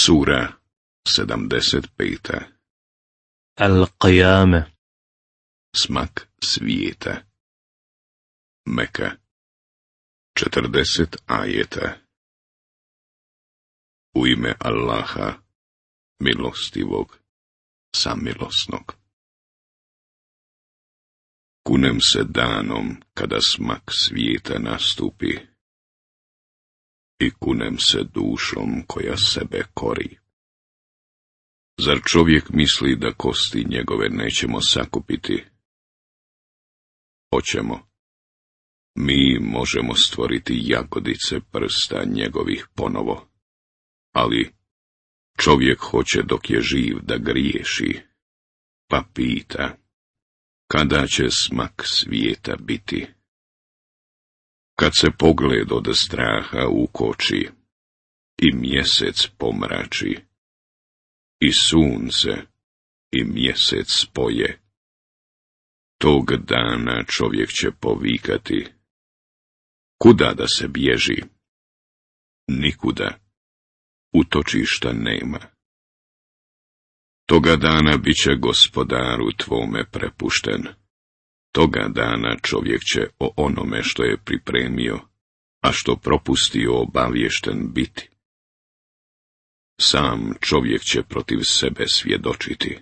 Sura 75. Al-Qiyame. Smak svijeta. Meka. 40 ajeta. U ime Allaha, milostivog, samilosnog. Kunem se danom kada smak svijeta nastupi i kunem se dušom koja sebe kori. Zar čovjek misli da kosti njegove nećemo sakupiti? Hoćemo. Mi možemo stvoriti jagodice prsta njegovih ponovo, ali čovjek hoće dok je živ da griješi, pa pita, kada će smak svijeta biti? Kad se pogled od straha ukoči i mjesec pomrači, i sunce i mjesec spoje, tog dana čovjek će povikati, kuda da se bježi? Nikuda, utočišta nema. Toga dana bit će gospodaru tvome prepušten. Toga dana čovjek će o onome što je pripremio, a što propustio obaviješten biti. Sam čovjek će protiv sebe svjedočiti.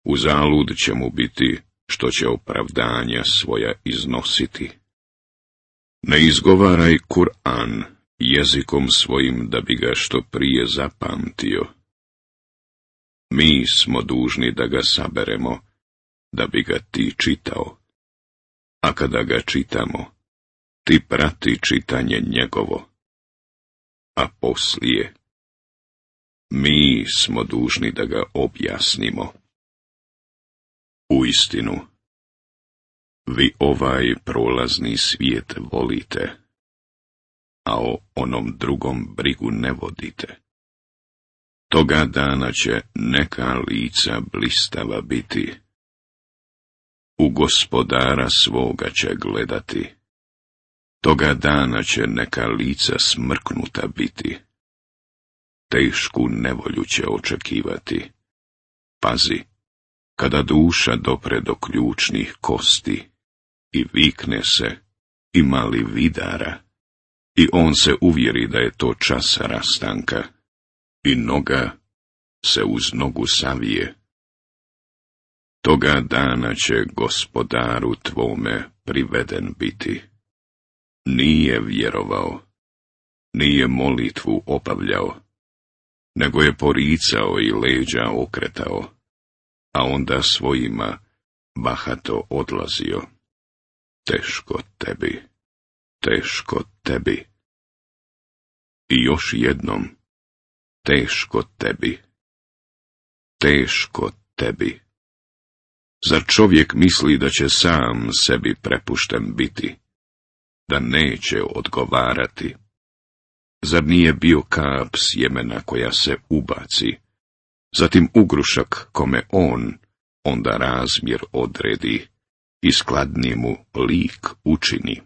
Uzalud će mu biti što će opravdanja svoja iznositi. Ne izgovaraj Kur'an jezikom svojim da bi ga što prije zapamtio. Mi smo dužni da ga saberemo, da bi ga ti čitao. A kada ga čitamo, ti prati čitanje njegovo. A poslije, mi smo dužni da ga objasnimo. Uistinu, vi ovaj prolazni svijet volite, a o onom drugom brigu ne vodite. Toga dana će neka lica blistava biti. U gospodara svoga će gledati. Toga dana će neka lica smrknuta biti. Tešku nevolju će očekivati. Pazi, kada duša dopre do ključnih kosti i vikne se, ima li vidara, i on se uvjeri da je to čas rastanka, i noga se uz nogu savije. Toga dana će gospodaru tvome priveden biti. Nije vjerovao, nije molitvu obavljao, nego je poricao i leđa okretao, a onda svojima bahato odlazio. Teško tebi, teško tebi. I još jednom, teško tebi, teško tebi. Zar čovjek misli da će sam sebi prepušten biti, da neće odgovarati? Zar nije bio kap sjemena koja se ubaci, zatim ugrušak kome on onda razmjer odredi i skladni mu lik učini,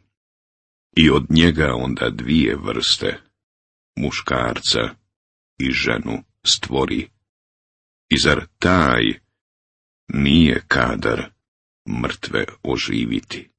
i od njega onda dvije vrste, muškarca i ženu stvori, i zar taj nije kadar mrtve oživiti?